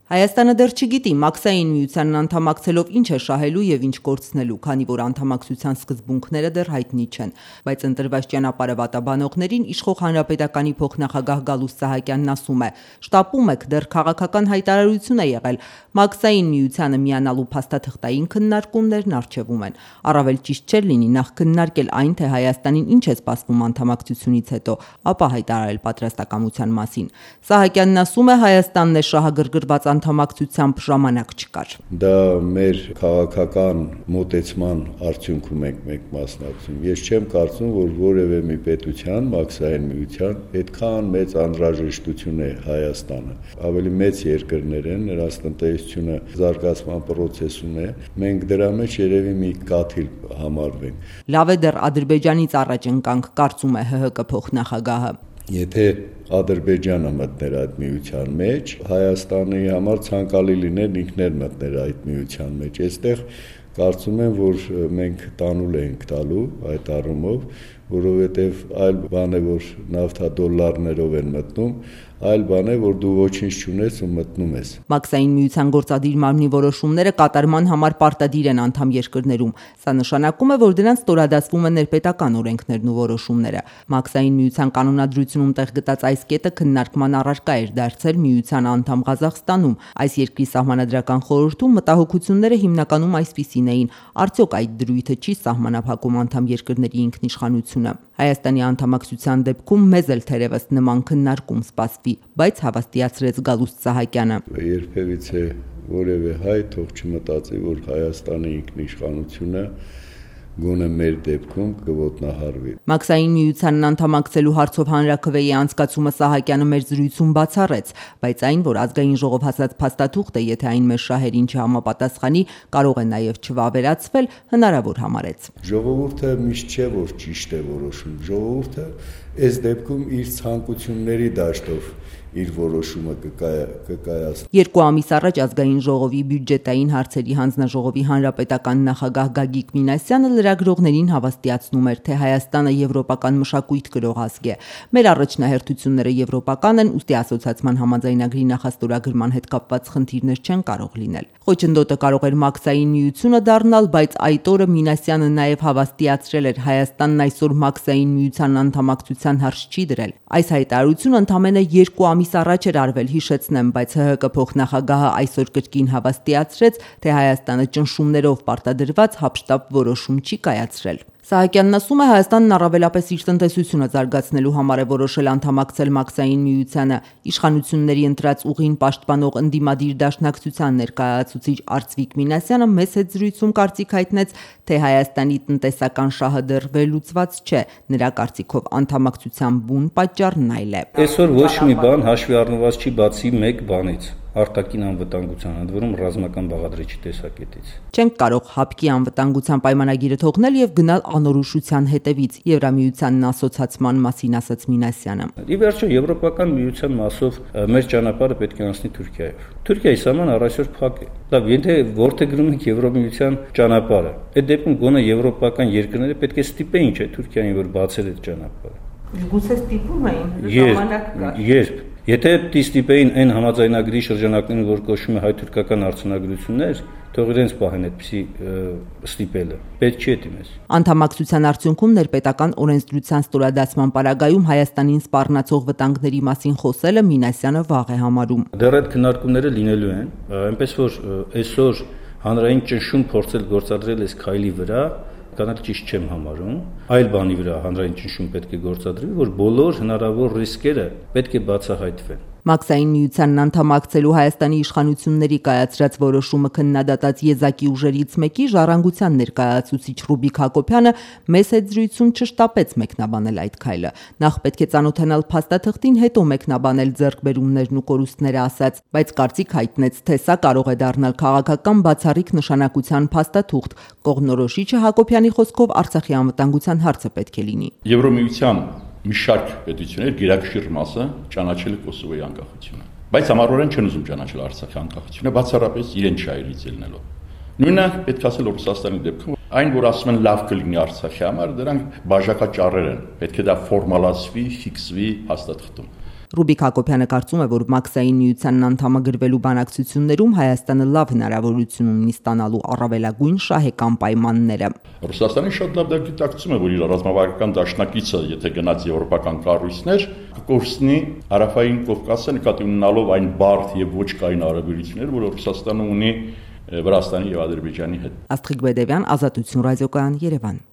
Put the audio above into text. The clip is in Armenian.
Հայաստանը դեռ չգիտի մաքսային միությանն անդամակցելով ինչ է շահելու եւ ինչ կորցնելու, քանի որ անդամակցության սկզբունքները դեռ հայտնի չեն, բայց ընտրված ճանապարհը վատաբանողներին իշխող հանրապետականի փոխնախագահ Գալուստ Սահակյանն ասում է. «Շտապում եք, դեռ քաղաքական հայտարարություն է եղել, մաքսային միությանը միանալու փաստաթղթային քննարկումներն առջևում են։ Առավել ճիշտ չէր լինի նախ քննարկել այն, թե Հայաստանին ինչ է սպասվում անդամակցությունից հետո, ապա հայտարարել պատրաստակամության մասին»։ Սահակյանն ասում է, Հայաստանն է շահագրգռված անդամակցությամբ ժամանակ չկար։ Դա մեր քաղաքական մոտեցման արդյունքում ենք մենք մասնակցում։ Ես չեմ կարծում, որ որևէ մի պետության, մաքսային միության այդքան մեծ անհրաժեշտություն է Հայաստանը։ Ավելի մեծ երկրներ են, նրանց տնտեսությունը զարգացման process-ում է։ Մենք դրա մեջ երևի մի կաթիլ համարվենք։ Լավ է դեռ Ադրբեջանից առաջ ընկանք, կարծում է ՀՀԿ փոխնախագահը։ Եթե Ադրբեջանը մտներ այդ միության մեջ, Հայաստանի համար ցանկալի լիներ ինքներ մտներ այդ միության մեջ։ Այստեղ կարծում եմ, որ մենք տանուլ ենք տալու այդ առումով, որովհետև այլ բան է, որ նավթադոլարներով են մտնում, այլ բան է, որ դու ոչինչ չունես ու մտնում ես։ Մաքսային միության գործադիր մարմնի որոշումները կատարման համար պարտադիր են անդամ երկրներում։ Սա նշանակում է, որ դրանց ստորադասվում են ներպետական օրենքներն ու որոշումները։ Մաքսային միության կանոնադրությունում տեղ գտած այս կետը քննարկման առարկա էր դարձել միության անդամ Ղազախստանում։ Այս երկրի սահմանադրական խորհրդում մտահոգությունները հիմնականում այսպիսին էին. արդյոք այդ դրույթը չի սահմանափակում անդամ երկրների ինքնիշխանությունը։ Հայաստանի անդամակցության դեպքում մեզ էլ թերևս նման քննարկում սպասվի, բայց հավաստիացրեց Գալուստ Սահակյանը։ Երբևիցե որևէ հայ թող չմտածի, որ Հայաստանի ինքնիշխանությունը գոնե մեր դեպքում կոտնահարվի։ Մաքսային միությանն անդամակցելու հարցով հանրաքվեի անցկացումը Սահակյանը մեր զրույցում բացառեց, բայց այն, որ ազգային ժողով հասած փաստաթուղթը, եթե այն մեր շահերին չհամապատասխանի, կարող է նաև չվավերացվել, հնարավոր համարեց։ Ժողովուրդը միշտ չէ, որ ճիշտ է որոշում։ Ժողովուրդը այս դեպքում իր ցանկությունների դաշտով իր որոշումը կկայացնի։ 2 ամիս առաջ ազգային ժողովի բյուջետային հարցերի հանձնաժողովի հանրապետական նախագահ Գագիկ Մինասյանը լրագրողներին հավաստիացնում էր, թե Հայաստանը եվրոպական մշակույթ կրող ազգ է։ Մեր առաջնահերթությունները եվրոպական են, ուստի ասոցիացման համաձայնագրի նախաստորագրման հետ կապված խնդիրներ չեն կարող լինել։ Խոչընդոտը կարող էր մաքսային միությունը դառնալ, բայց այդ օրը Մինասյանը նաև հավաստիացրել էր, Հայաստանն այսօր մաքսային միության անդամակցության հարց չի դրել։ Այս հայտարարությունը ընդամենը 2 ամիս առաջ էր արվել, հիշեցնեմ, բայց ՀՀԿ փոխնախագահը այսօր կրկին հավաստիացրեց, թե Հայաստանը ճնշումներով պարտադրված հապշտապ որոշում չի կայացրել։ Սահակյանն ասում է, Հայաստանն առավելապես իր տնտեսությունը զարգացնելու համար է որոշել անդամակցել մաքսային միությանը։ Իշխանությունների ընտրած ուղին պաշտպանող ընդդիմադիր դաշնակցության ներկայացուցիչ Արծվիկ Մինասյանը մեծ հետ զրույցում կարծիք հայտնեց, թե Հայաստանի տնտեսական շահը դեռ վերլուծված չէ։ Նրա կարծիքով անդամակցության բուն պատճառն այլ է։ Այսօր ոչ մի բան հաշվի առնված չի բացի մեկ բանից՝ արտաքին անվտանգության, ընդ որում ռազմական բաղադրիչի տեսակետից։ Չենք կարող ՀԱՊԿ-ի անվտանգության պայմանագիրը թողնել եւ գնալ անորոշության հետևից, Եվրամիությանն ասոցացման մասին ասաց Մինասյանը։ Ի վերջո Եվրոպական միության մասով մեր ճանապարհը պետք է անցնի Թուրքիայով։ Թուրքիայի սահմանը առայժմ փակ է։ Լավ, եթե որտեղում ենք Եվրամիության ճանապարհը, այդ դեպքում գոնե եվրոպական երկրները պետք է ստիպեին, չէ՞, Թուրքիային, որ բացել այդ ճանապարհը։ Գուցե ստիպում էին, ժամանակ կար։ Երբ Եթե ստիպեին այն համաձայնագրի շրջանակներում, որ կոչվում է հայ-թուրքական արձանագրություններ, թող իրենց պահեն այդպիսի ստիպելը։ Պետք չի դիմես։ Անդամակցության արդյունքում ներպետական օրենսդրության ստորադասման պարագայում Հայաստանին սպառնացող վտանգների մասին խոսելը Մինասյանը վաղ է համարում։ Դեռ այդ քննարկումները լինելու են, այնպես որ այսօր հանրային ճնշում փորձել գործադրել այս քայլի վրա կանալ ճիշտ չեմ համարում, այլ բանի վրա հանրային ճնշում պետք է գործադրվի, որ բոլոր հնարավոր ռիսկերը պետք է բացահայտվեն։ Մաքսային միությանն անդամակցելու Հայաստանի իշխանությունների կայացրած որոշումը քննադատած եզակի ուժերից մեկի Ժառանգության ներկայացուցիչ Ռուբիկ Հակոբյանը մեծ հետ զրույցում չշտապեց մեկնաբանել այդ քայլը։ Նախ պետք է ծանոթանալ փաստաթղթին, հետո մեկնաբանել ձեռքբերումներն ու կորուստները ասաց, բայց կարծիք հայտնեց, թե սա կարող է դառնալ քաղաքական բացառիկ նշանակության փաստաթուղթ։ Կողմնորոշիչը Հակոբյանի խոսքով Արցախի անվտանգության հարցը պետք է լինի։ Եվրամիության մի շարք պետություններ գերակշիռ մասը ճանաչել է Կոսովոյի անկախությունը, բայց համառորեն չեն ուզում ճանաչել Արցախի անկախությունը, բացառապես իրեն շահերից ելնելով։ Նույնը պետք է ասել Ռուսաստանի դեպքում, այն որ ասում են լավ կլինի Արցախի համար, դրանք բաժակաճառեր են, պետք է դա ֆորմալացվի, ֆիքսվի հաստատվում։ Ռուբիկ Հակոբյանը կարծում է, որ Մաքսային միությանն անդամագրվելու բանակցություններում Հայաստանը լավ հնարավորություն ունի ստանալու առավելագույն շահեկան պայմանները։ Ռուսաստանը շատ լավ գիտակցում է, որ իր ռազմավարական դաշնակիցը, եթե գնաց եվրոպական կառույցներ, կկորցնի Հարավային Կովկասը նկատի ունենալով այն բարդ եւ ոչ կայուն հարաբերությունները, որ Ռուսաստանը ունի Վրաստանի եւ Ադրբեջանի հետ։ Աստղիկ Բեդևյան, Ազատություն ռադիոկայան, Երևան։